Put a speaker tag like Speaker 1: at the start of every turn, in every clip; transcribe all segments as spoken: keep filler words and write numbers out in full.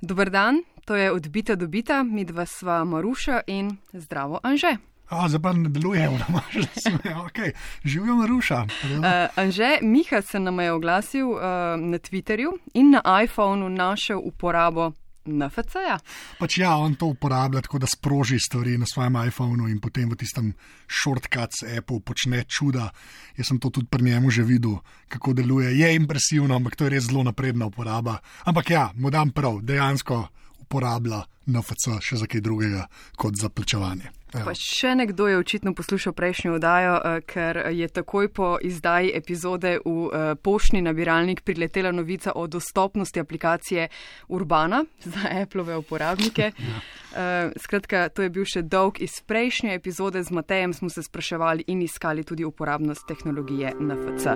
Speaker 1: Dober dan, to je Odbita dobita, midva sva Maruša in zdravo Anže.
Speaker 2: A, zdaj pa ne deluje, že sem, ok, živijo Maruša.
Speaker 1: Uh, Anže, Miha se nam je oglasil uh, na Twitterju in na iPhonu našel uporabo en ef ce-ja.
Speaker 2: Pač ja, on to uporablja tako, da sproži stvari na svojem iPhonu in potem v tistem shortcuts appu počne čuda. Jaz sem to tudi pri njemu že videl, kako deluje. Je impresivno, ampak to je res zelo napredna uporaba. Ampak ja, mu dam prav, dejansko uporablja en ef ce še za kaj drugega kot za plačevanje.
Speaker 1: Pa še nekdo je očitno poslušal prejšnjo oddajo, ker je takoj po izdaji epizode v poštni nabiralnik priletela novica o dostopnosti aplikacije Urbana za Applove uporabnike. Ja. Skratka, to je bil še dolg iz prejšnje epizode. Z Matejem smo se spraševali in iskali tudi uporabnost tehnologije en ef ce.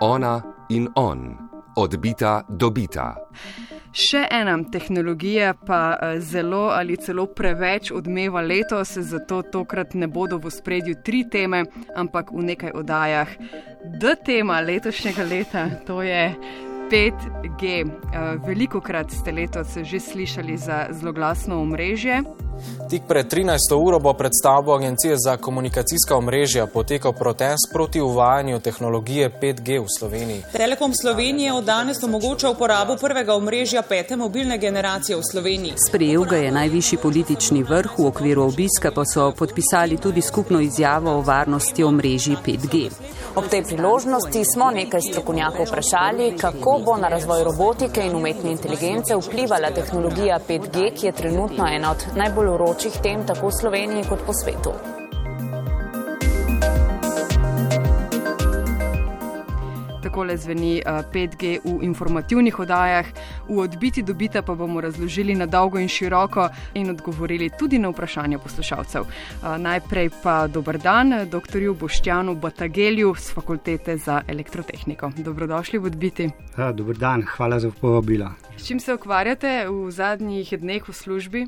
Speaker 3: Ona in on. Odbita dobita.
Speaker 1: Še ena tehnologija pa zelo ali celo preveč odmeva letos, zato tokrat ne bodo v ospredju tri teme, ampak v nekaj oddajah. D tema letošnjega leta, to je pet G. Velikokrat ste letos že slišali za zloglasno omrežje.
Speaker 4: Tik pred trinajsto uro bo pred stavbo Agencije za komunikacijska omrežja potekal protest proti uvajanju tehnologije pet G v Sloveniji.
Speaker 5: Telekom Slovenije od danes omogoča uporabo prvega omrežja pete mobilne generacije v Sloveniji.
Speaker 6: Sprejel ga je najvišji politični vrh, v okviru obiska pa so podpisali tudi skupno izjavo o varnosti omrežij pet G.
Speaker 7: Ob tej priložnosti smo nekaj strokovnjakov vprašali, kako bo na razvoj robotike in umetne inteligence vplivala tehnologija pet G, ki je trenutno ena od najbolj vročih tem tako v Sloveniji kot po svetu.
Speaker 1: Takole zveni pet G v informativnih oddajah. V Odbiti dobita pa bomo razložili na dolgo in široko in odgovorili tudi na vprašanja poslušalcev. Najprej pa dober dan doktorju Boštjanu Batagelju z Fakultete za elektrotehniko. Dobrodošli v Odbiti.
Speaker 8: Ja, dober dan, hvala za povabilo.
Speaker 1: S čim se ukvarjate v zadnjih dneh v službi?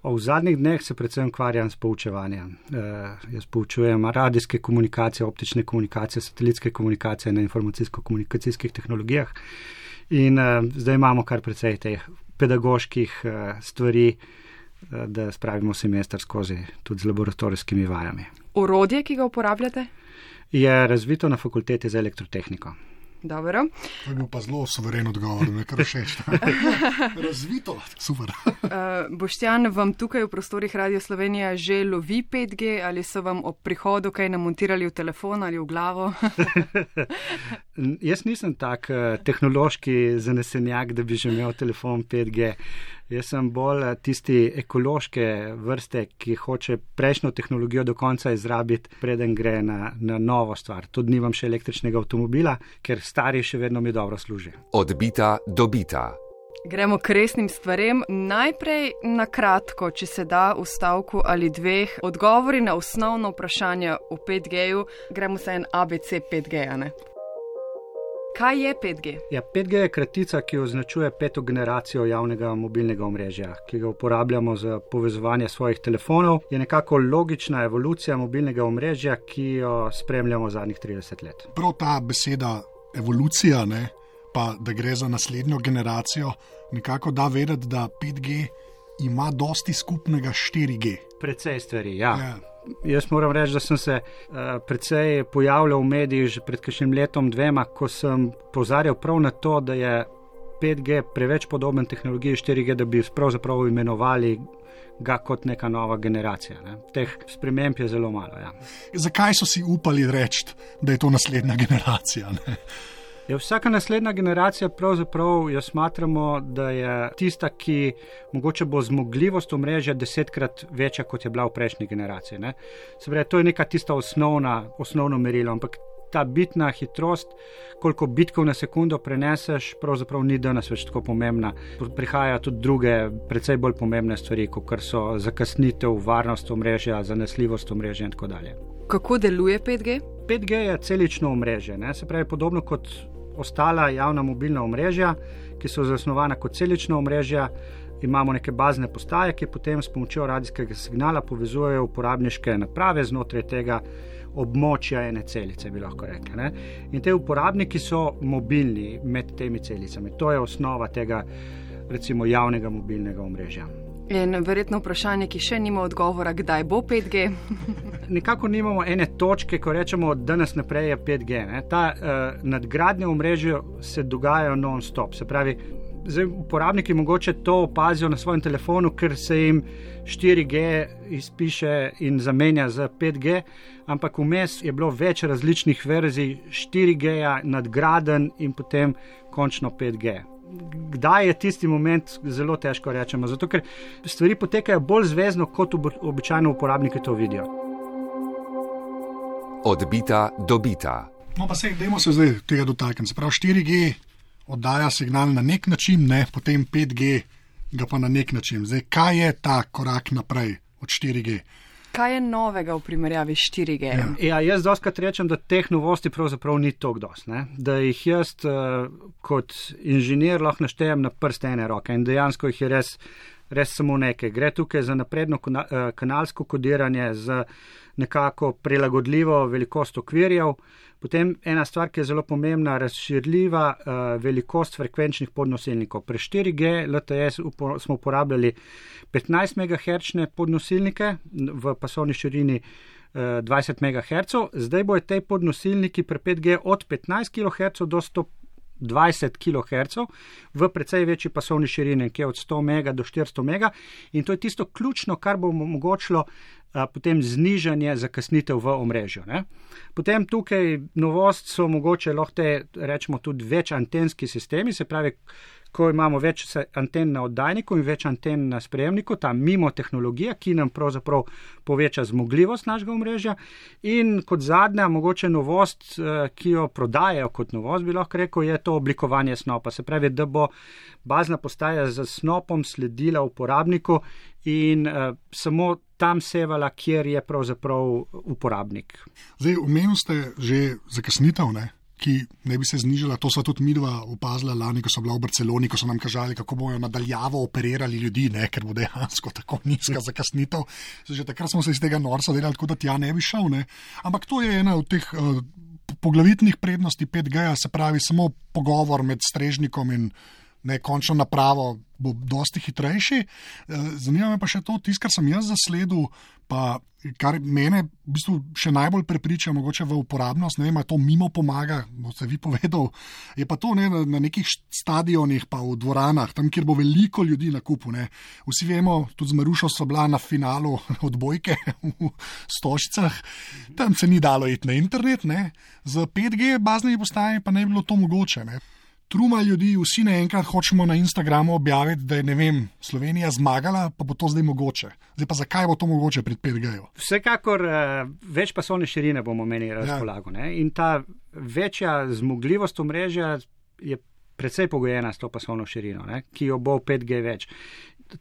Speaker 8: V zadnjih dneh se predvsem ukvarjam s poučevanjem. E, jaz poučujem radijske komunikacije, optične komunikacije, satelitske komunikacije na informacijsko-komunikacijskih tehnologijah in e, zdaj imamo kar precej teh pedagoških e, stvari, e, da spravimo semester skozi tudi z laboratorijskimi vajami.
Speaker 1: Orodje, ki ga uporabljate?
Speaker 8: Je razvito na Fakulteti za elektrotehniko.
Speaker 1: Dobro.
Speaker 2: To je bil pa zelo suveren odgovor, me kar všeč. Razvito, super.
Speaker 1: uh, Boštjan, vam tukaj v prostorih Radio Slovenija že lovi pet G ali so vam ob prihodu kaj namontirali v telefon ali v glavo?
Speaker 8: Jaz nisem tak uh, tehnološki zanesenjak, da bi že imel telefon pet G. Jaz sem bolj tisti ekološke vrste, ki hoče prejšnjo tehnologijo do konca izrabiti, preden gre na, na novo stvar. Tudi nimam še električnega avtomobila, ker stari še vedno mi dobro služi.
Speaker 3: Odbita dobita.
Speaker 1: Gremo k resnim stvarem. Najprej na kratko, če se da v stavku ali dveh, odgovori na osnovno vprašanje o pet G-ju. Gremo se en A B C pet G-ja, ne? Kaj je pet G?
Speaker 8: Ja, pet G je kratica, ki označuje peto generacijo javnega mobilnega omrežja, ki ga uporabljamo za povezovanje svojih telefonov. Je nekako logična evolucija mobilnega omrežja, ki jo spremljamo zadnjih trideset let.
Speaker 2: Prav ta beseda evolucija, ne, pa da gre za naslednjo generacijo, nekako da vedeti, da pet G ima dosti skupnega s štiri G.
Speaker 8: Precej stvari, ja.
Speaker 2: Ja.
Speaker 8: Jaz moram reči, da sem se uh, precej pojavljal v medijih že pred kakšnim letom dvema, ko sem pozarjal prav na to, da je pet G preveč podoben tehnologiji štiri G, da bi pravzaprav imenovali ga kot neka nova generacija. Ne. Teh sprememb je zelo malo. Ja.
Speaker 2: Zakaj so si upali reči, da je to naslednja generacija? Ne?
Speaker 8: Je vsaka naslednja generacija pravzaprav, jo smatramo, da je tista, ki mogoče bo zmogljivost omrežja desetkrat večja, kot je bila v prejšnji generaciji. Ne? Se pravi, to je neka tista osnovna, osnovno merilo, ampak ta bitna hitrost, koliko bitkov na sekundo preneseš, pravzaprav ni danes več tako pomembna. Prihajajo tudi druge, precej bolj pomembne stvari, kot so zakasnitev, varnost omrežja, zanesljivost omrežja in tako dalje.
Speaker 1: Kako deluje pet G?
Speaker 8: pet G je celično omrežje, ne? Se pravi, podobno kot ostala javna mobilna omrežja, ki so zasnovana kot celična omrežja, imamo neke bazne postaje, ki potem s pomočjo radijskega signala povezujejo uporabniške naprave znotraj tega območja ene celice, bi lahko rekli. Ne? In te uporabniki so mobilni med temi celicami. To je osnova tega recimo javnega mobilnega omrežja.
Speaker 1: In verjetno vprašanje, ki še nima odgovora, kdaj bo pet G?
Speaker 8: Nekako nimamo ene točke, ko rečemo, da danes naprej je pet G. Ne? Ta uh, nadgradnje omrežja se dogajajo non-stop. Se pravi, zdaj uporabniki mogoče to opazijo na svojem telefonu, ker se jim štiri G izpiše in zamenja za pet G, ampak vmes je bilo več različnih verzij štiri G-ja, nadgraden in potem končno pet G. Kdaj je tisti moment, zelo težko rečemo, zato ker stvari potekajo bolj zvezno, kot običajno uporabniki to vidijo.
Speaker 3: Odbita do bita.
Speaker 2: No pa se, dajmo se zdaj tega dotakniti. Se pravi, štiri G oddaja signal na nek način, ne, potem pet G ga pa na nek način. Zdaj, kaj je ta korak naprej od štiri G?
Speaker 1: Kaj je novega v primerjavi s štiri G?
Speaker 8: Ja, ja jaz dostakrat rečem, da teh novosti pravzaprav ni toliko dosti, ne? Da jih jaz uh, kot inženir lahko naštejem na prste ene roke in dejansko jih je res, res samo nekaj. Gre tukaj za napredno kanalsko kodiranje, za nekako prilagodljivo velikost okvirjev. Potem ena stvar, ki je zelo pomembna, razširljiva uh, velikost frekvenčnih podnosilnikov. Pri štiri G L T E upo, smo uporabljali petnajst megahertzne podnosilnike v pasovni širini uh, dvajset megahertzov. Zdaj bojo te podnosilniki pri pet G od petnajst kilohertzov do sto dvajset kilohertzov v precej večji pasovni širini, ki je od sto mega do štiristo mega, in to je tisto ključno, kar bo omogočilo a, potem znižanje zakasnitev v omrežju. Ne? Potem tukaj novost so mogoče lahko te, rečemo, tudi več antenski sistemi, se pravi, ko imamo več anten na oddajniku in več anten na sprejemniku, ta mimo tehnologija, ki nam pravzaprav poveča zmogljivost našega omrežja. In kot zadnja, mogoče novost, ki jo prodajajo kot novost, bi lahko rekel, je to oblikovanje snopa. Se pravi, da bo bazna postaja z snopom sledila uporabniku in uh, samo tam sevala, kjer je pravzaprav uporabnik.
Speaker 2: Zdaj, omenili ste že zakasnitev, ne? Ki ne bi se znižala, to so tudi midva opazila lani, ko so bila v Barceloni, ko so nam kažali, kako bojo nadaljavo operirali ljudi, ne, ker bo dejansko tako nizka zakasnitev. Že takrat smo se iz tega norca delali, tako da tja ne bi šel, ne. Ampak to je ena od teh uh, poglavitnih prednosti pet G-ja, se pravi samo pogovor med strežnikom in ne, končno napravo bo dosti hitrejši. Zanima me pa še to, tisto, kar sem jaz zasledil, pa kar mene v bistvu še najbolj prepriča mogoče v uporabnost, ne vem, to mimo pomaga, bo se vi povedal, je pa to ne, na nekih stadionih pa v dvoranah, tam, kjer bo veliko ljudi na kupu. Ne. Vsi vemo, tudi z Marušo so bila na finalu odbojke v Stožicah, tam se ni dalo iti na internet, ne. Z pet G baznimi postajami pa ne bi bilo to mogoče. Ne. Truma ljudi, vsi naenkrat hočemo na Instagramu objaviti, da je, ne vem, Slovenija zmagala, pa bo to zdaj mogoče. Zdaj pa zakaj bo to mogoče pri pet G-ju?
Speaker 8: Vsekakor uh, več pasovne širine bomo imeli razpolago. Ja. In ta večja zmogljivost omrežja je precej pogojena s to pasovno širino, ne? Ki jo bo pet G več.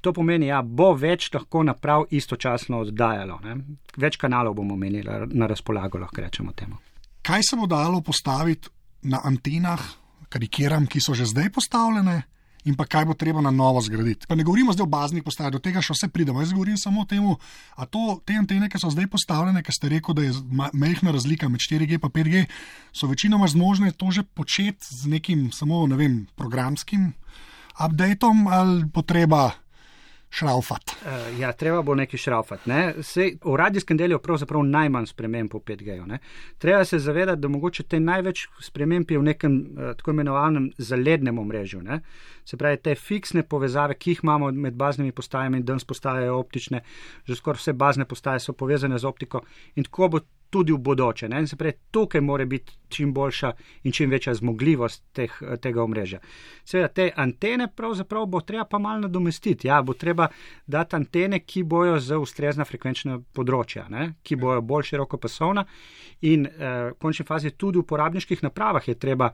Speaker 8: To pomeni, ja, bo več lahko naprav istočasno oddajalo. Ne? Več kanalov bomo imeli na razpolago, lahko rečemo temu.
Speaker 2: Kaj se bo dalo postaviti na antenah, karikiram, ki so že zdaj postavljene, in pa kaj bo treba na novo zgraditi. Pa ne govorimo zdaj o baznih postajah, do tega še vse pridemo. Jaz govorim samo o temu, a to, te antene, ki so zdaj postavljene, ki ste rekel, da je majhna razlika med štiri G pa pet G, so večinoma zmožne to že početi z nekim samo, ne vem, programskim updateom ali potreba šraufat.
Speaker 8: Uh, ja, treba bo nekaj šraufat. Ne? Sej, v radijskem delu je pravzaprav najmanj sprememb po pet G-ju. Ne? Treba se zavedati, da mogoče te največ sprememb je v nekem uh, tako imenovanem zalednem omrežju. Ne? Se pravi, te fiksne povezave, ki jih imamo med baznimi postajami, danes postajajo optične, že skoraj vse bazne postaje so povezane z optiko in tako bo tudi v bodoče. Ne? Se pravi, tukaj mora biti čim boljša in čim večja zmogljivost teh, tega omrežja. Seveda, te antene pravzaprav bo treba pa malo nadomestiti. Ja, bo treba dati antene, ki bojo za ustrezna frekvenčna področja, ne? Ki bojo bolj širokopasovna in eh, v končni fazi tudi v uporabniških napravah je treba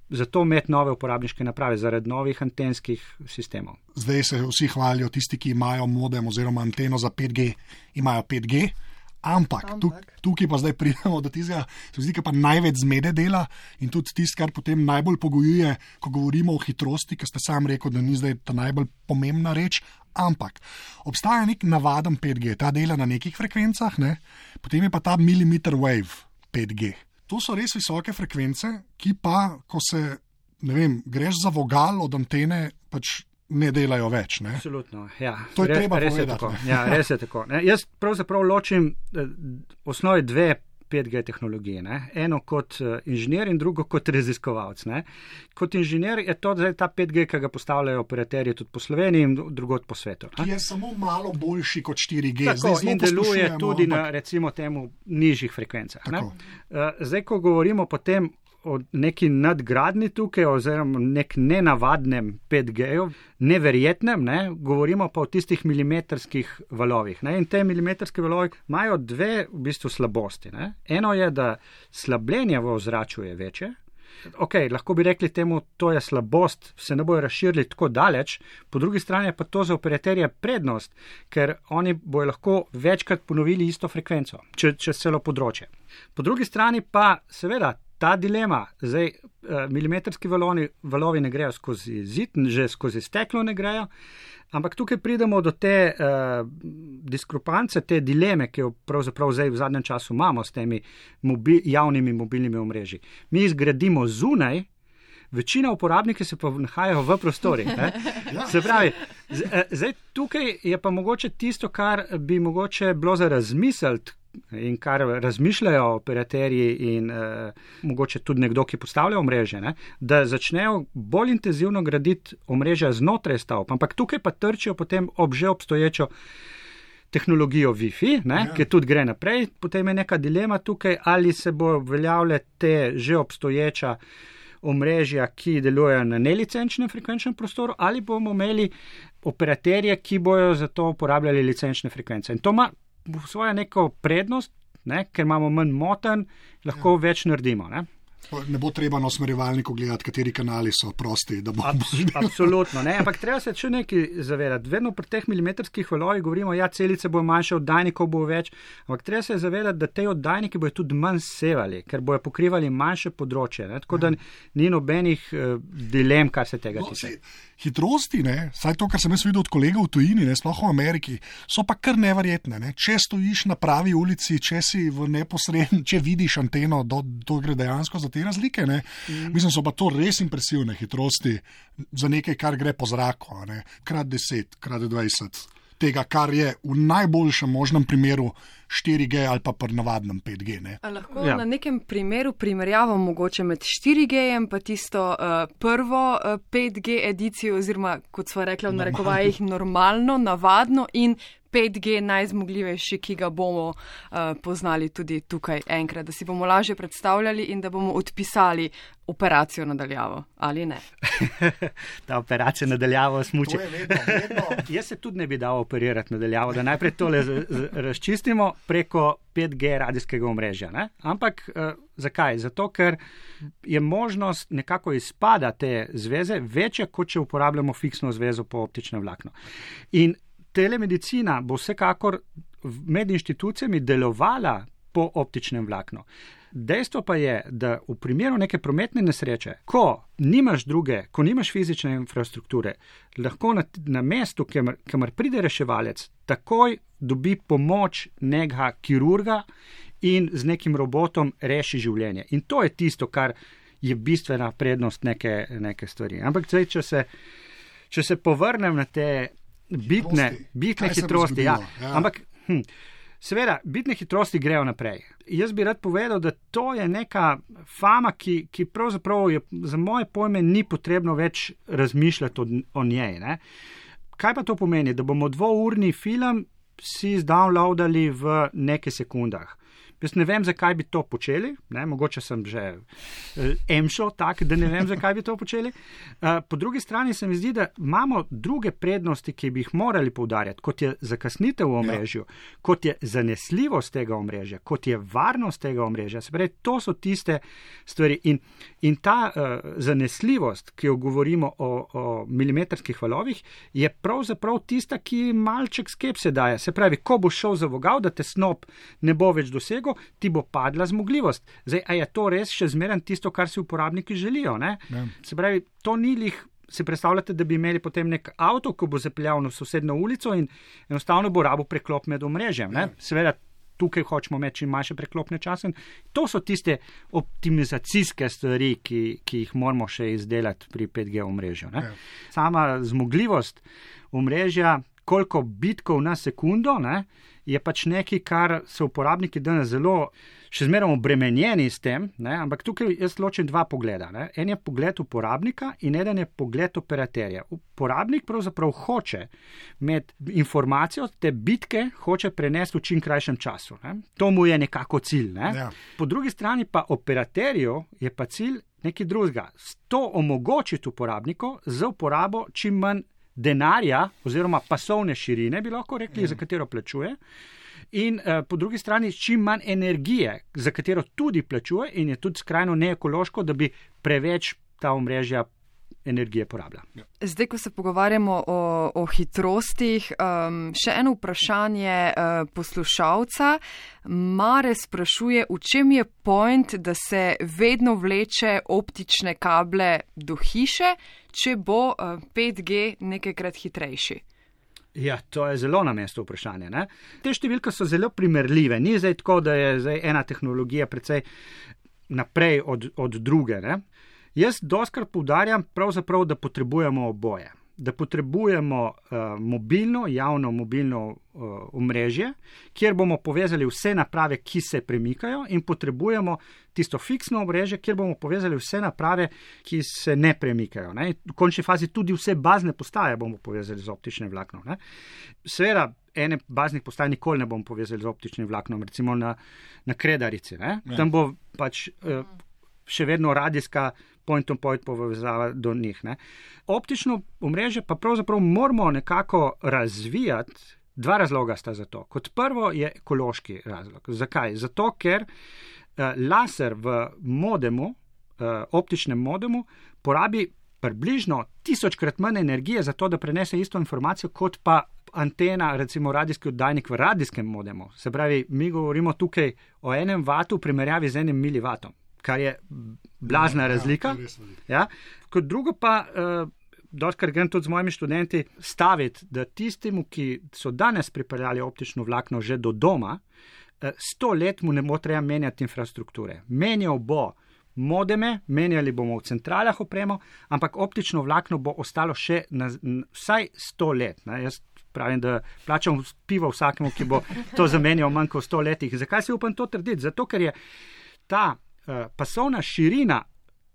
Speaker 8: zato imeti nove uporabniške naprave zaradi novih antenskih sistemov.
Speaker 2: Zdaj se vsi hvalijo, tisti, ki imajo modem oziroma anteno za pet G, imajo pet G. Ampak, tuk, tukaj pa zdaj pridemo do tistega, se zdi, pa največ zmede dela in tudi tisto, kar potem najbolj pogojuje, ko govorimo o hitrosti, ker ste sam rekel, da ni zdaj ta najbolj pomembna reč, ampak obstaja nek navaden pet G, ta dela na nekih frekvencah, ne? Potem je pa ta millimeter wave pet G. To so res visoke frekvence, ki pa, ko se, ne vem, greš za vogal od antene, pač ne delajo več. Ne?
Speaker 8: Absolutno, ja.
Speaker 2: To je
Speaker 8: Re,
Speaker 2: treba
Speaker 8: res
Speaker 2: povedati.
Speaker 8: Je ja, res je tako. Ne? Jaz pravzaprav ločim v osnovi dve pet G tehnologije. Ne? Eno kot inženir in drugo kot raziskovalec. Ne? Kot inženir je to zdaj ta pet G, ki ga postavljajo operaterji tudi po Sloveniji in drugod po svetu.
Speaker 2: Ki je samo malo boljši kot štiri G.
Speaker 8: Tako,
Speaker 2: zdaj
Speaker 8: in deluje tudi
Speaker 2: ampak...
Speaker 8: na recimo temu nižjih frekvencah. Ne? Zdaj, ko govorimo potem o neki nadgradni tukaj, oziroma nek nenavadnem pet G-ju, neverjetnem, ne, govorimo pa o tistih milimetrskih valovih. Ne, in te milimetrske valovi imajo dve v bistvu slabosti. Ne. Eno je, da slabljenje v ozračju je večje. Ok, lahko bi rekli temu, to je slabost, se ne bojo razširili tako daleč, po drugi strani pa to za operaterje prednost, ker oni bojo lahko večkrat ponovili isto frekvenco, če, čez celo področje. Po drugi strani pa seveda ta dilema, zdaj milimetrski valovi, valovi ne grejo skozi zid, že skozi steklo ne grejo, ampak tukaj pridemo do te uh, diskrepance, te dileme, ki jo pravzaprav zdaj v zadnjem času imamo s temi mobi, javnimi mobilnimi omrežji. Mi jih zgradimo zunaj, večina uporabniki se pa nahajajo v prostorih. Se pravi, zdaj tukaj je pa mogoče tisto, kar bi mogoče bilo za razmisliti, in kar razmišljajo operaterji in eh, mogoče tudi nekdo, ki postavlja omrežje, ne, da začnejo bolj intenzivno graditi omrežja znotraj stavb, ampak tukaj pa trčijo potem ob že obstoječo tehnologijo Wi-Fi, ne, ja. Ki tudi gre naprej, potem je neka dilema tukaj, ali se bo uveljavljale te že obstoječa omrežja, ki delujejo na nelicenčnem frekvenčnem prostoru, ali bomo imeli operaterje, ki bojo za to uporabljali licenčne frekvence. In to ima svojo neko prednost, ne, ker imamo manj motenj, lahko ja. več naredimo. Ne.
Speaker 2: Ne bo treba na usmerjevalniku gledati, kateri kanali so prosti. Da bo
Speaker 8: Abs, absolutno, ne, ampak treba se še nekaj zavedati. Vedno pri teh milimetrskih valovih govorimo, ja, celice bojo manjše, oddajnikov bo več, ampak treba se zavedati, da te oddajniki bojo tudi manj sevali, ker bojo pokrivali manjše področje. Ne, tako da ni nobenih uh, dilem, kar se tega
Speaker 2: no,
Speaker 8: tiče.
Speaker 2: Hitrosti, ne, saj to, kar sem jaz videl od kolegov v tujini, ne, sploh v Ameriki, so pa kar neverjetne. Ne. Če stojiš na pravi ulici, če si v neposrednjem, če vidiš anteno, do, to gre dejansko za te razlike. Ne. Mm. Mislim, so pa to res impresivne hitrosti za nekaj, kar gre po zraku. Ne. Krat deset, krat dvajset. Tega, kar je v najboljšem možnem primeru štiri G ali pa pri navadnem pet G. Ne?
Speaker 1: Lahko ja. na nekem primeru primerjavo mogoče med štiri G-jem pa tisto uh, prvo uh, pet G edicijo oziroma, kot sva rekla v narekovajih, normalno, navadno in pet G najzmogljivejši, ki ga bomo uh, poznali tudi tukaj enkrat, da si bomo lažje predstavljali in da bomo odpisali operacijo nadaljavo, ali ne?
Speaker 8: Ta operacija nadaljavo smuči.
Speaker 2: To je vedno, vedno.
Speaker 8: Jaz se tudi ne bi dal operirati nadaljavo, da najprej tole z, z, razčistimo preko pet G radijskega omrežja. Ne? Ampak uh, zakaj? Zato, ker je možnost nekako izpada te zveze večja, kot če uporabljamo fiksno zvezo po optičnem vlaknu. In telemedicina bo vsekakor med inštitucijami delovala po optičnem vlaknu. Dejstvo pa je, da v primeru neke prometne nesreče, ko nimaš druge, ko nimaš fizične infrastrukture, lahko na, na mestu, kamor, kamor pride reševalec, takoj dobi pomoč nekega kirurga in z nekim robotom reši življenje. In to je tisto, kar je bistvena prednost neke, neke stvari. Ampak zdaj, če se, če se povrnem na te bitne, bitne hitrosti, ja. Ja. Ampak, hm, seveda, bitne hitrosti grejo naprej. Jaz bi rad povedal, da to je neka fama, ki, ki pravzaprav je, za moje pojme ni potrebno več razmišljati o, o njej. Ne? Kaj pa to pomeni? Da bomo dvourni film si zdownloadali v nekaj sekundah. Jaz ne vem, zakaj bi to počeli, ne, mogoče sem že emšo tak, da ne vem, zakaj bi to počeli. Po drugi strani se mi zdi, da imamo druge prednosti, ki bi jih morali poudarjati, kot je zakasnitev v omrežju, ja. Kot je zanesljivost tega omrežja, kot je varnost tega omrežja. Se pravi, to so tiste stvari in, in ta uh, zanesljivost, ki jo govorimo o, o milimetrskih valovih, je pravzaprav tista, ki malček skepse daje. Se pravi, ko bo šel za vogal, da te snop ne bo več dosegel, ti bo padla zmogljivost. Zdaj, a je to res še zmeraj tisto, kar si uporabniki želijo? Ne? Ja. Se pravi, to ni lih, se predstavljate, da bi imeli potem nek avto, ko bo zapeljal na sosednjo ulico in enostavno bo rabo preklop med omrežjem. Ja. Seveda, tukaj hočemo imeti čim manjše preklopne čase. To so tiste optimizacijske stvari, ki, ki jih moramo še izdelati pri pet G omrežju. Ne? Sama zmogljivost omrežja, koliko bitkov na sekundo, ne, je pač nekaj, kar so uporabniki danes zelo še zmeraj obremenjeni s tem, ne, ampak tukaj jaz ločim dva pogleda. Ne. En je pogled uporabnika in eden je pogled operaterja. Uporabnik pravzaprav hoče imeti informacijo, te bitke hoče prenesti v čim krajšem času. Ne. To mu je nekako cilj. Ne. Ja. Po drugi strani pa operaterju je pa cilj nekaj drugega. To omogočiti uporabniku za uporabo čim manj denarja oziroma pasovne širine, bi lahko rekli, mm. za katero plačuje, in uh, po drugi strani čim manj energije, za katero tudi plačuje in je tudi skrajno neekološko, da bi preveč ta omrežja energije porabila.
Speaker 1: Zdaj, ko se pogovarjamo o, o hitrostih, um, še eno vprašanje uh, poslušalca. Mare sprašuje, v čem je point, da se vedno vleče optične kable do hiše, če bo uh, pet G nekajkrat hitrejši?
Speaker 8: Ja, to je zelo na mestu vprašanje. Ne? Te številke so zelo primerljive. Ni zdaj tako, da je zdaj ena tehnologija precej naprej od, od druge. Ne? Jaz doskrat poudarjam pravzaprav, da potrebujemo oboje. Da potrebujemo uh, mobilno, javno mobilno uh, omrežje, kjer bomo povezali vse naprave, ki se premikajo, in potrebujemo tisto fiksno omrežje, kjer bomo povezali vse naprave, ki se ne premikajo. Ne? V končni fazi tudi vse bazne postaje bomo povezali z optičnim vlaknom. Ne? Seveda, ene baznih postaj nikoli ne bomo povezali z optičnim vlaknom, recimo na, na Kredarici. Ne? Ja. Tam bo pač uh, še vedno radijska point-on-point povezava do njih. Ne. Optično omrežje pa pravzaprav moramo nekako razvijati. Dva razloga sta za to. Kot prvo je ekološki razlog. Zakaj? Zato, ker uh, laser v modemu, uh, optičnem modemu, porabi približno tisočkrat manj energije za to, da prenese isto informacijo, kot pa antena, recimo radijski oddajnik v radijskem modemu. Se pravi, mi govorimo tukaj o enem vatu v primerjavi z enim milivatom, kar je blazna razlika. Ja. Kot drugo pa, uh, doskrat grem tudi z mojimi študenti staviti, da tistemu, ki so danes pripeljali optično vlakno že do doma, uh, sto let mu ne bo treba menjati infrastrukture. Menjal bo modeme, menjali bomo v centralah opremo, ampak optično vlakno bo ostalo še na, na, vsaj sto let. Ne. Jaz pravim, da plačam pivo vsakemu, ki bo to zamenjal manj kot sto letih. Zakaj si upam to trditi? Zato, ker je ta Uh, pasovna širina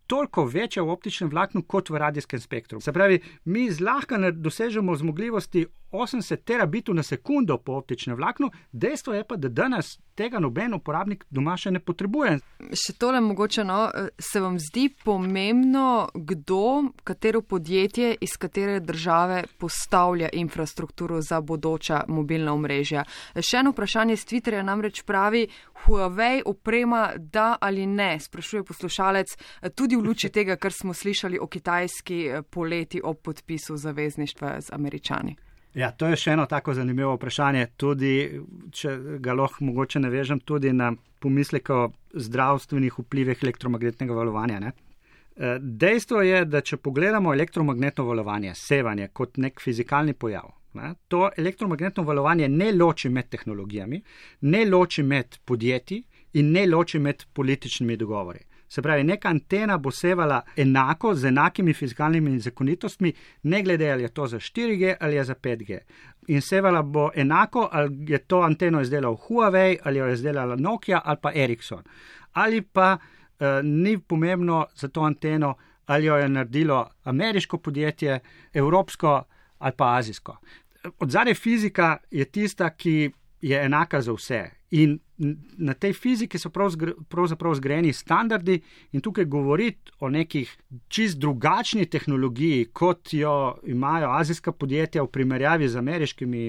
Speaker 8: toliko večja v optičnem vlaknu kot v radijskem spektru. Se pravi, mi zlahka dosežemo zmogljivosti osemdeset terabitov na sekundo po optičnem vlaknu, dejstvo je pa, da danes tega noben uporabnik doma še ne potrebuje.
Speaker 1: Še tole mogoče, no, se vam zdi pomembno, kdo, katero podjetje iz katere države postavlja infrastrukturo za bodoča mobilna omrežja? Še eno vprašanje z Twitterja namreč pravi, Huawei oprema da ali ne, sprašuje poslušalec, tudi v luči tega, kar smo slišali o kitajski poleti ob podpisu zavezništva z Američani.
Speaker 8: Ja, to je še eno tako zanimivo vprašanje, tudi, če ga lahko mogoče navežem, tudi na pomislek o zdravstvenih vplivih elektromagnetnega valovanja. Ne? Dejstvo je, da če pogledamo elektromagnetno valovanje, sevanje kot nek fizikalni pojav, ne? To elektromagnetno valovanje ne loči med tehnologijami, ne loči med podjetji in ne loči med političnimi dogovori. Se pravi, neka antena bo sevala enako, z enakimi fizikalnimi zakonitostmi, ne glede ali je to za štiri G ali je za pet G. In sevala bo enako, ali je to anteno izdelal Huawei, ali jo je izdelala Nokia ali pa Ericsson. Ali pa eh, ni pomembno za to anteno, ali jo je naredilo ameriško podjetje, evropsko ali pa azijsko. Odzadaj fizika je tista, ki je enaka za vse. In na tej fiziki so pravzaprav zgrajeni standardi in tukaj govoriti o nekih čist drugačni tehnologiji, kot jo imajo azijska podjetja v primerjavi z ameriškimi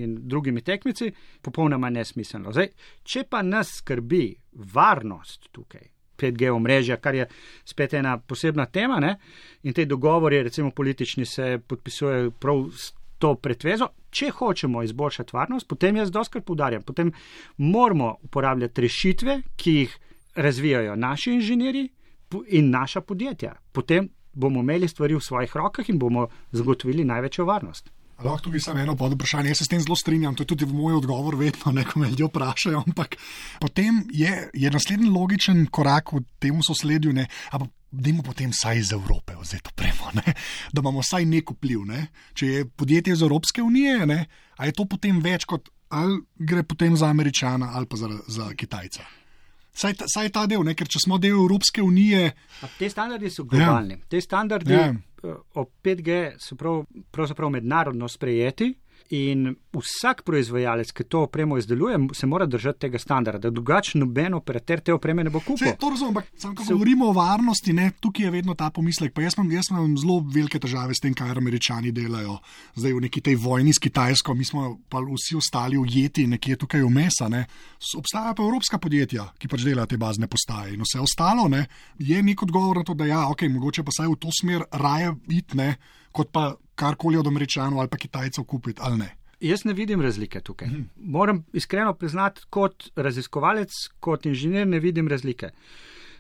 Speaker 8: in drugimi tekmici, popolnoma nesmiselno. Zdaj, če pa nas skrbi varnost tukaj, pet G omrežja, kar je spet ena posebna tema, ne? In te dogovori, recimo politični, se podpisujejo prav to pretvezo. Če hočemo izboljšati varnost, potem jaz doskrat poudarjam, potem moramo uporabljati rešitve, ki jih razvijajo naši inženirji in naša podjetja. Potem bomo imeli stvari v svojih rokah in bomo zagotovili največjo varnost.
Speaker 2: Lahko tukaj samo eno pod vprašanje. Jaz se s tem zelo strinjam, to je tudi moj odgovor vedno, ne, ko me ljudje vprašajo, ampak potem je, je naslednji logičen korak v tem sosledju, ne, ampak dajmo potem vsaj iz Evrope vzeti opremo, ne, da imamo vsaj nek vpliv. Ne. Če je podjetje iz Evropske unije, ne, a je to potem več kot ali gre potem za Američana ali pa za, za Kitajca. Saj ta, saj ta del, ne, ker če smo del Evropske unije...
Speaker 8: A te standardi so globalni. Ja. Te standardi ja. o pet G so prav, pravzaprav mednarodno sprejeti in vsak proizvajalec, ki to opremo izdeluje, se mora držati tega standarda, drugače noben operater te opreme ne bo kupil.
Speaker 2: To razumem, ampak sam, ko se... govorimo o varnosti, ne, tukaj je vedno ta pomislek, pa jaz imam, jaz imam zelo velike težave s tem, kar Američani delajo zdaj v neki tej vojni s Kitajsko, mi smo pa vsi ostali ujeti nekje tukaj vmesa, ne. Obstajajo pa evropska podjetja, ki pač delajo te bazne postaje in vse ostalo, ne, je nek odgovor na to, da ja, ok, mogoče pa saj v to smer raje iti, ne, kot pa karkoli od Američanov ali pa Kitajcev kupiti, ali ne.
Speaker 8: Jaz ne vidim razlike tukaj. Mhm. Moram iskreno priznati, kot raziskovalec, kot inženir ne vidim razlike.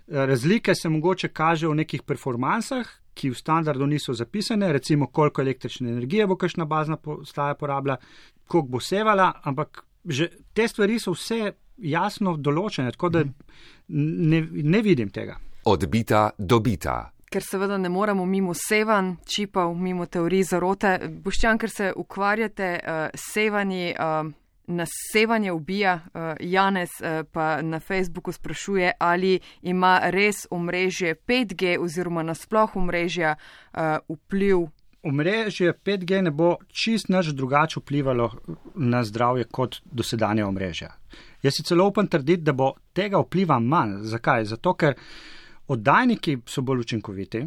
Speaker 8: Razlike se mogoče kaže v nekih performansah, ki v standardu niso zapisane, recimo koliko električne energije bo kakšna bazna postaja porabila, koliko bo sevala, ampak že te stvari so vse jasno določene, tako da ne, ne vidim tega.
Speaker 3: Odbita, dobita.
Speaker 1: Ker seveda ne moramo mimo sevanj, čipov, mimo teorij zarote. Boštjan, ker se ukvarjate uh, sevanji, uh, nas sevanje ubija, uh, Janez uh, pa na Facebooku sprašuje, ali ima res omrežje pet G oziroma nasploh omrežja uh, vpliv.
Speaker 8: Omrežje pet G ne bo čist nič drugače vplivalo na zdravje kot dosedanje omrežja. Jaz si celo upam trditi, da bo tega vpliva manj. Zakaj? Zato, ker oddajniki so bolj učinkoviti,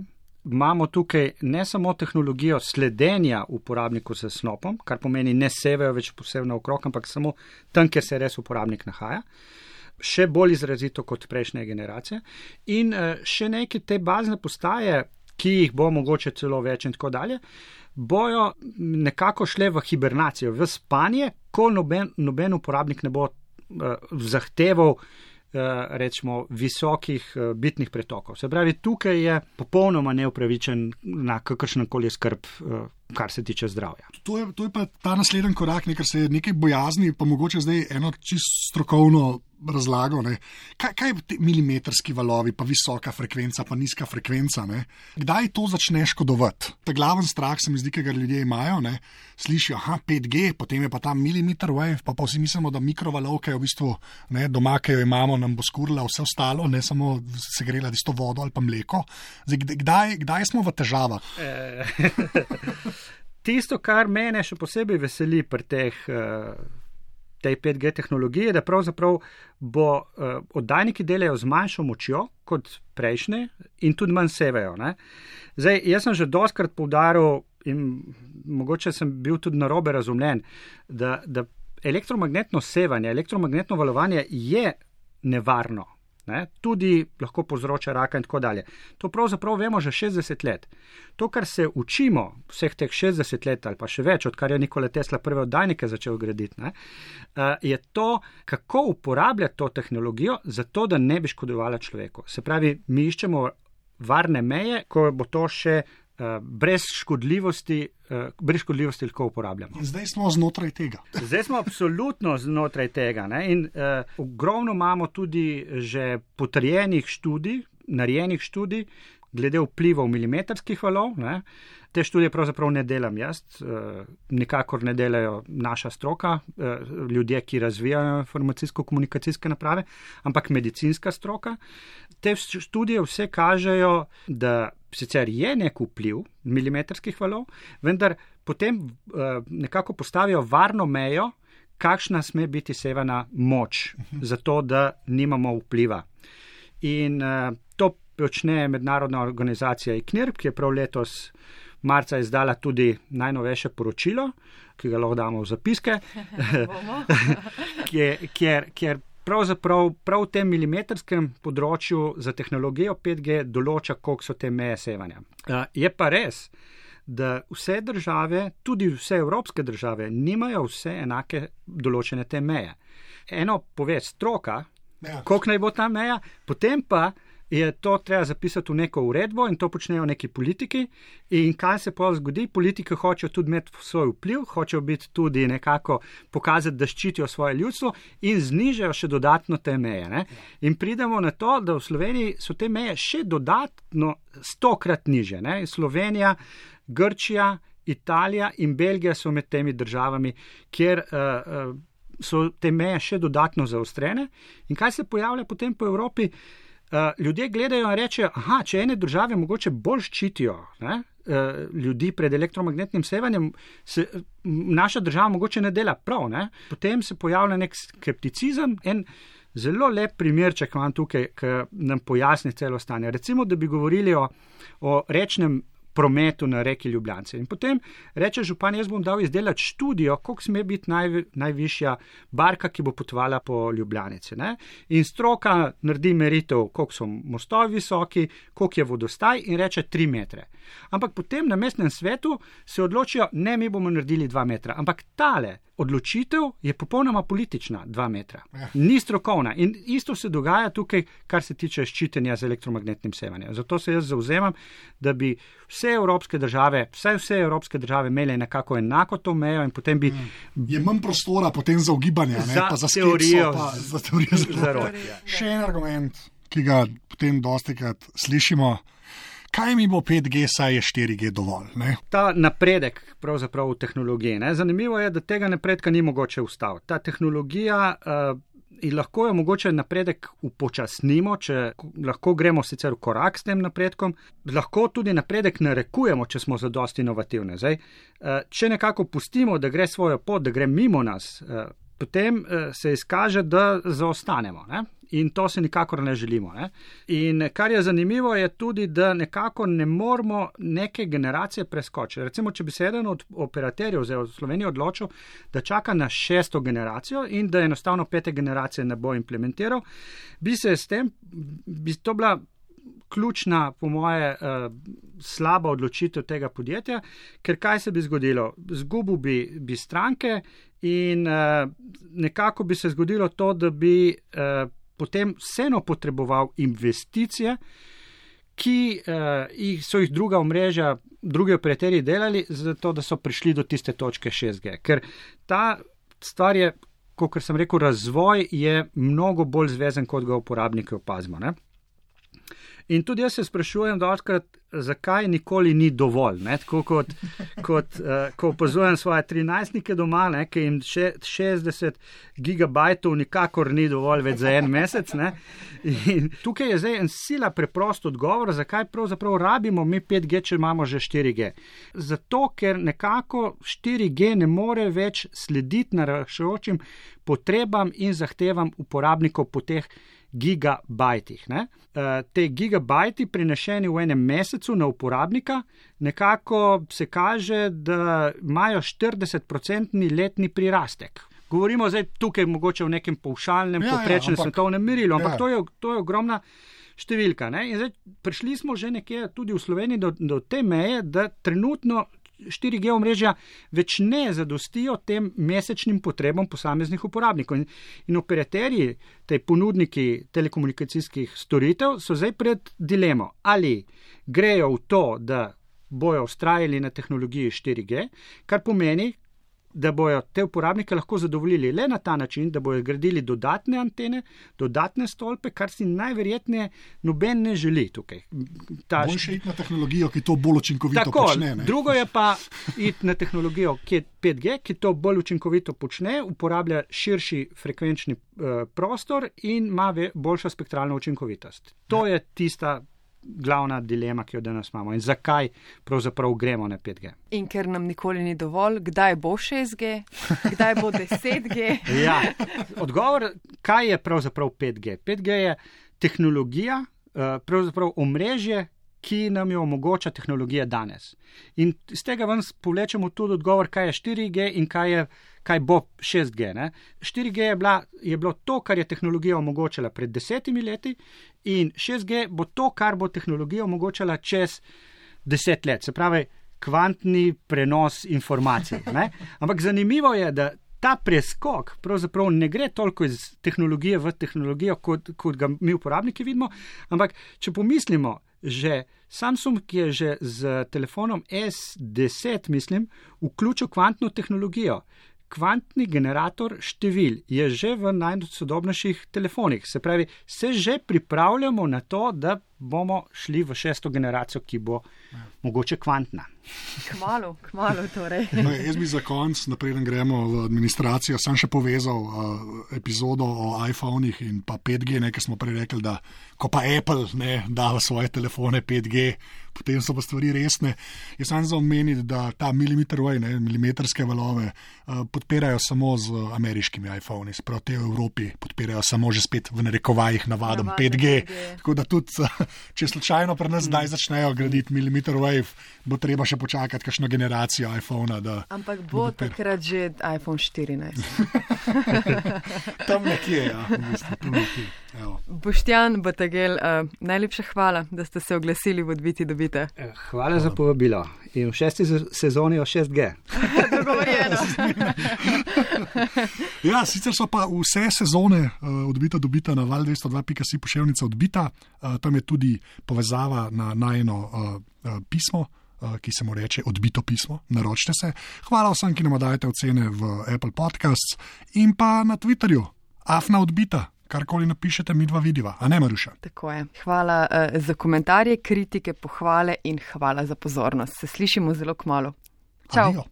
Speaker 8: imamo tukaj ne samo tehnologijo sledenja uporabniku s snopom, kar pomeni ne sevejo več posebno okrog, ampak samo tam, kjer se res uporabnik nahaja, še bolj izrazito kot prejšnje generacije in še neke te bazne postaje, ki jih bo mogoče celo več in tako dalje, bojo nekako šle v hibernacijo, v spanje, ko noben, noben uporabnik ne bo uh, zahteval rečemo visokih bitnih pretokov. Se pravi, tukaj je popolnoma neupravičen na kakršenkoli skrb, kar se tiče zdravja.
Speaker 2: To je, to je pa ta naslednji korak, ne, ker se je nekaj bojazni, pa mogoče zdaj eno čisto strokovno razlago. Ne. Kaj, kaj je milimetrski valovi, pa visoka frekvenca, pa nizka frekvenca? Ne. Kdaj to začne škodovati? Ta glaven strah se mi zdi, ki ga ljudje imajo, ne. Slišijo, aha, pet G, potem je pa ta milimeter wave, pa pa vsi mislimo, da mikrovalovke v bistvu, ne, doma, ki jo imamo, nam bo skurila vse ostalo, ne samo segrela tisto vodo ali pa mleko. Zdaj, kdaj, kdaj smo v težavah?
Speaker 8: Tisto, kar mene še posebej veseli pri teh, tej pet G tehnologiji, da pravzaprav bo oddajniki delajo z manjšo močjo kot prejšnje in tudi manj sevejo. Ne? Zdaj, jaz sem že dostkrat poudaril in mogoče sem bil tudi narobe razumljen, da, da elektromagnetno sevanje, elektromagnetno valovanje je nevarno. Ne, tudi lahko povzroča raka in tako dalje. To pravzaprav vemo že šestdeset let. To, kar se učimo vseh teh šestdeset let ali pa še več, odkar je Nikola Tesla prve oddajnike začel graditi, ne, je to, kako uporabljati to tehnologijo zato, da ne bi škodovala človeku. Se pravi, mi iščemo varne meje, ko bo to še brez škodljivosti, brez škodljivosti lahko uporabljamo.
Speaker 2: In zdaj smo znotraj tega.
Speaker 8: Zdaj smo absolutno znotraj tega. Ne? In uh, ogromno imamo tudi že potrjenih študij, narejenih študij, glede vplivov milimetrskih valov. Ne? Te študije pravzaprav ne delam jaz, uh, nikakor ne delajo naša stroka, uh, ljudje, ki razvijajo informacijsko-komunikacijske naprave, ampak medicinska stroka. Te študije vse kažejo, da sicer je nek vpliv milimetrskih valov, vendar potem uh, nekako postavijo varno mejo, kakšna sme biti sevana moč, zato da nimamo vpliva. In uh, to počne mednarodna organizacija I C N I R P, ki je prav letos marca izdala tudi najnovejše poročilo, ki ga lahko damo v zapiske, kjer, kjer, kjer pravzaprav prav v tem milimetrskem področju za tehnologijo pet G določa, koliko so te meje sevanja. Je pa res, da vse države, tudi vse evropske države, nimajo vse enake določene te meje. Eno pove stroka, ja, koliko naj bo ta meja, potem pa je to treba zapisati v neko uredbo in to počnejo neki politiki. In kaj se pa zgodi? Politiki hočejo tudi imeti svoj vpliv, hočejo biti tudi nekako pokazati, da ščitijo svoje ljudstvo in znižajo še dodatno te meje. Ne? In pridemo na to, da v Sloveniji so te meje še dodatno stokrat niže. Ne? Slovenija, Grčija, Italija in Belgija so med temi državami, kjer uh, uh, so te meje še dodatno zaostrene. In kaj se pojavlja potem po Evropi? Uh, ljudje gledajo in rečejo, aha, če ene države mogoče bolj ščitijo ne, uh, ljudi pred elektromagnetnim sevanjem, se naša država mogoče ne dela prav. Ne? Potem se pojavlja nek skepticizem. En zelo lep primerček imam tukaj, ki nam pojasni celo stanje. Recimo, da bi govorili o, o rečnem prometu na reki Ljubljance. In potem reče župan, jaz bom dal izdelati študijo, koliko sme biti naj, najvišja barka, ki bo potovala po Ljubljanici. Ne? In stroka naredi meritev, koliko so mostovi visoki, koliko je vodostaj in reče tri metre. Ampak potem na mestnem svetu se odločijo, ne, mi bomo naredili dva metra. Ampak tale odločitev je popolnoma politična, dva metra. Ni strokovna. In isto se dogaja tukaj, kar se tiče ščitenja z elektromagnetnim sevanjem. Zato se jaz zauzemam, da bi vse evropske države, vse, vse evropske države imele nekako enako to mejo in potem bi...
Speaker 2: Je manj prostora potem za ugibanje, ne?
Speaker 8: Za
Speaker 2: pa za
Speaker 8: teorijo.
Speaker 2: skepso, pa za teorijo zarote. Še en argument, ki ga potem dostikrat slišimo, kaj mi bo pet G, saj je štiri G dovolj, ne?
Speaker 8: Ta napredek pravzaprav v tehnologiji, ne? Zanimivo je, da tega napredka ni mogoče ustaviti. Ta tehnologija uh, in lahko jo mogoče napredek upočasnimo, če lahko gremo sicer v korak s tem napredkom, lahko tudi napredek narekujemo, če smo zadosti inovativni. Zdaj, uh, če nekako pustimo, da gre svojo pot, da gre mimo nas, uh, potem uh, se izkaže, da zaostanemo, ne? In to se nikakor ne želimo. Ne? In kar je zanimivo je tudi, da nekako ne moramo neke generacije preskočiti. Recimo, če bi se eden od operaterjev v Sloveniji odločil, da čaka na šesto generacijo in da enostavno pete generacije ne bo implementiral, bi se s tem, bi to bila ključna, po moje, uh, slaba odločitev tega podjetja, ker kaj se bi zgodilo? Zgubil bi, bi stranke in uh, nekako bi se zgodilo to, da bi uh, potem vseeno potreboval investicije, ki uh, so jih druga omrežja, drugi operaterji delali, zato da so prišli do tiste točke šest G. Ker ta stvar je, kot sem rekel, razvoj je mnogo bolj zvezen, kot ga uporabniki opazimo. Ne? In tudi jaz se sprašujem dostikrat, zakaj nikoli ni dovolj. Ne? Tako kot, kot uh, ko opazujem svoje trinajstnike doma, ne? Ki jim še, šestdeset gigabajtov nikakor ni dovolj več za en mesec. Ne? In tukaj je zdaj en sila preprost odgovor, zakaj pravzaprav rabimo mi pet G, če imamo že štiri G. Zato, ker nekako štiri G ne more več slediti naraščajočim potrebam in zahtevam uporabnikov po teh gigabajtih. Ne? Uh, te gigabajti prenešeni v enem mesecu na uporabnika nekako se kaže, da imajo štirideset odstotni letni prirastek. Govorimo zdaj tukaj mogoče o nekem povšalnem, ja, poprečnem ja, svetovnem merilu, ampak ja. to, je, to je ogromna številka. Ne? In zdaj prišli smo že nekje tudi v Sloveniji do, do te meje, da trenutno štiri G omrežja več ne zadostijo tem mesečnim potrebam posameznih uporabnikov. In, in operaterji, te ponudniki telekomunikacijskih storitev so zdaj pred dilemo, ali grejo v to, da bojo vztrajali na tehnologiji štiri G, kar pomeni, da bojo te uporabnike lahko zadovoljili le na ta način, da bojo gradili dodatne antene, dodatne stolpe, kar si najverjetneje noben ne želi tukaj. Ta...
Speaker 2: Boljše iti na tehnologijo, ki to bolj učinkovito
Speaker 8: Tako,
Speaker 2: počne. Ne?
Speaker 8: Drugo je pa iti na tehnologijo, ki je pet G, ki to bolj učinkovito počne, uporablja širši frekvenčni uh, prostor in ima boljšo spektralno učinkovitost. To ja. je tista glavna dilema, ki jo danes imamo in zakaj pravzaprav gremo na pet G.
Speaker 1: In ker nam nikoli ni dovolj, kdaj bo šest G, kdaj bo deset G?
Speaker 8: Ja, odgovor, kaj je pravzaprav pet G? pet G je tehnologija, pravzaprav omrežje, ki nam jo omogoča tehnologija danes. In z tega ven povlečemo tudi odgovor, kaj je štiri G in kaj, je, kaj bo šest G. Ne? štiri G je, bila, je bilo to, kar je tehnologija omogočala pred desetimi leti in šest G bo to, kar bo tehnologija omogočala čez deset let. Se pravi, kvantni prenos informacij. Ne? Ampak zanimivo je, da ta preskok pravzaprav ne gre toliko iz tehnologije v tehnologijo, kot, kot ga mi uporabniki vidimo, ampak če pomislimo, že Samsung je že z telefonom S deset, mislim, vključil kvantno tehnologijo. Kvantni generator števil je že v najsodobnejših telefonih. Se pravi, se že pripravljamo na to, da bomo šli v šesto generacijo, ki bo ja. mogoče kvantna.
Speaker 1: Kmalu, kmalu torej.
Speaker 2: No, jaz bi za konc, napreden gremo v administracijo, sem še povezal uh, epizodo o iPhonih in pa pet G, nekaj smo prej rekli, da ko pa Apple ne, da v svoje telefone pet G, potem so pa stvari resne. Jaz sem za omeniti, da ta milimeter wave, ne, milimetrske valove uh, podpirajo samo z ameriškimi iPhoni, sprav te v Evropi podpirajo samo že spet v narekovajih navadom Navadne pet G. pet G. Tako da tudi, če slučajno pri nas zdaj začnejo graditi milimeter wave, bo treba še počakati kakšno generacijo iPhona. Da,
Speaker 1: Ampak bo takrat že iPhone štirinajst.
Speaker 2: Tam nekje, ja. V bistvu, tam nekje.
Speaker 1: Boštjan Bategel, uh, najlepša hvala, da ste se oglasili v Odbiti dobite.
Speaker 8: Hvala za povabilo. In v šesti sezoni o šest G.
Speaker 1: Dogovorjeno.
Speaker 2: Ja, sicer so pa vse sezone uh, Odbita dobita na val dvesto dva pika si poševnica Odbita. Uh, tam je tudi povezava na najno uh, uh, pismo, uh, ki se mu reče Odbito pismo. Naročite se. Hvala vsem, ki nam dajete ocene v Apple Podcasts in pa na Twitterju. Afna Odbita. Karkoli napišete, mi dva vidiva. A ne, Maruša?
Speaker 1: Tako je. Hvala uh, za komentarje, kritike, pohvale in hvala za pozornost. Se slišimo zelo kmalu. Čau.
Speaker 2: Adijo.